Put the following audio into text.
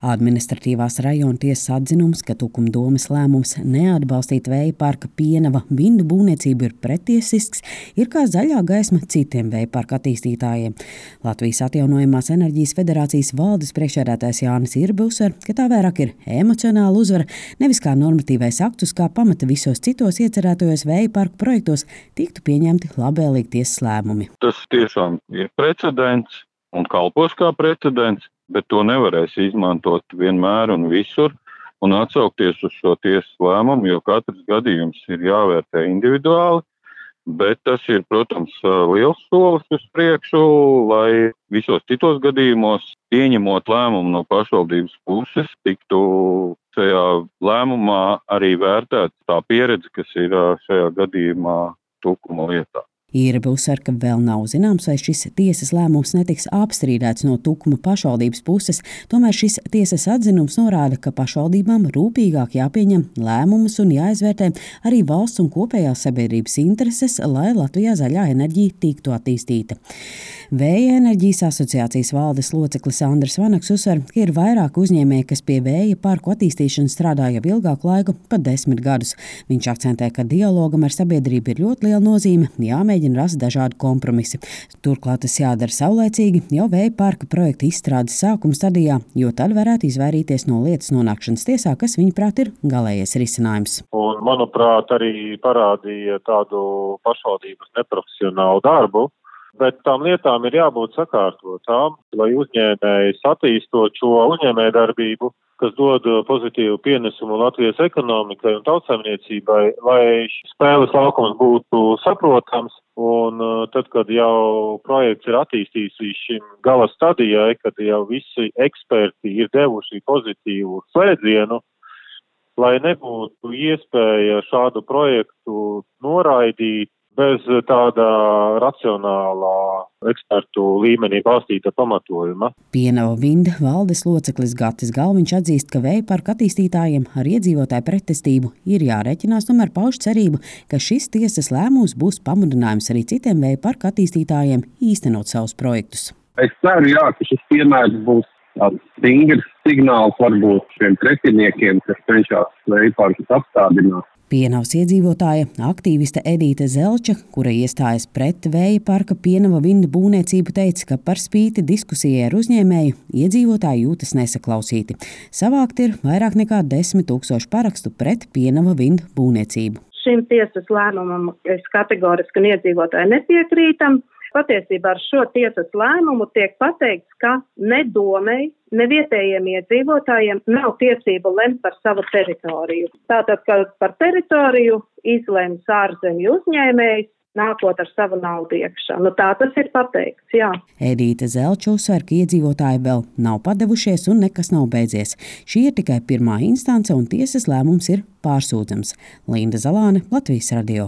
Administratīvās rajona tiesas atzinums, ka Tukuma domes lēmums neatbalstīt vēja parka Pienava vindu būvniecību ir pretiesisks, ir kā zaļā gaisma citiem vēja parka attīstītājiem. Latvijas Atjaunojamās enerģijas federācijas valdes priekšsēdētājs Jānis Irbe uzsver, ka tā vairāk ir emocionāla uzvara, nevis kā normatīvais aktus, kā pamata visos citos iecerētajos vēja parku projektos tiktu pieņemti labvēlīgi tiesas lēmumi. Tas tiešām ir precedents un kalpos kā precedents, bet to nevarēs izmantot vienmēr un visur un atsaukties uz šo tiesas lēmumu, jo katrs gadījums ir jāvērtē individuāli, bet tas ir, protams, liels solis uz priekšu, lai visos citos gadījumos, pieņemot lēmumu no pašvaldības puses, tiktu šajā lēmumā arī vērtēta tā pieredze, kas ir šajā gadījumā Tukuma lietā. Irbe uzsver, ka vēl nav zināms, vai šis tiesas lēmums netiks apstrīdēts no Tukuma pašvaldības puses, tomēr šis tiesas atzinums norāda, ka pašvaldībām rūpīgāk jāpieņem lēmumus un jāizvērtē arī valsts un kopējās sabiedrības intereses, lai Latvijā zaļā enerģija tiktu attīstīta. Vēja enerģijas asociācijas valdes loceklis Andris Vanaks uzsver, ka ir vairāk uzņēmēji, kas pie vēja parku attīstīšanas strādā jau ilgāku laiku, pat 10 gadus. Viņš akcentē, ka dialogam ar sabiedrību ir ļoti liela nozīme, jāmēģina rast dažādi kompromisi. Turklāt tas jādara saulēcīgi jau vēja parka projekta izstrādes sākuma stadijā, jo tad varētu izvairīties no lietas nonākšanas tiesā, kas viņuprāt ir galējais risinājums. Un, manuprāt, arī parādīja tādu pašvaldības neprofesionālu darbu, bet tām lietām ir jābūt sakārtotām, lai uzņēmējs attīstot šo uzņēmējdarbību, kas dod pozitīvu pienesumu Latvijas ekonomikai un tautsaimniecībai, lai spēles laukums būtu saprotams. Un tad, kad jau projekts ir attīstīts līdz šim gala stadijai, kad jau visi eksperti ir devuši pozitīvu slēdzienu, lai nebūtu iespēja šādu projektu noraidīt bez tāda racionālā ekspertu līmenī balstīta pamatojuma. Pienava vinda valdes loceklis Gatis Galviņš atzīst, ka vēja parka attīstītājiem ar iedzīvotāju pretestību ir jārēķinās, tomēr pauž cerību, ka šis tiesas lēmums būs pamudinājums arī citiem vēja parka attīstītājiem īstenot savus projektus. Es ceru, ka šis piemērs būs tāds stingrs signāls varbūt šiem pretiniekiem, kas cenšas vēja parkus apstādināt. Pienavas iedzīvotāja, aktīviste Edīte Zelča, kura iestājas pret vēja parka Pienava vindu būvniecību, teica, ka par spīti diskusijai ar uzņēmēju iedzīvotāji jūtas nesaklausīti. Savākt ir vairāk nekā 10 000 parakstu pret Pienava vindu būvniecību. Šim tiesas lēmumam es kategoriski un iedzīvotāji nepiekrītam. Patiesībā ar šo tiesas lēmumu tiek pateikts, ka ne domei, ne vietējiem iedzīvotājiem nav tiesību lemt par savu teritoriju. Tātad, ka par teritoriju izlems ārzemju uzņēmējs, nākot ar savu naudu iekšā. Tā tas ir pateikts, jā. Edīte Zelča uzsver, ka iedzīvotāji vēl nav padevušies un nekas nav beidzies. Šī ir tikai pirmā instance un tiesas lēmums ir pārsūdzams. Linda Zalāne, Latvijas radio.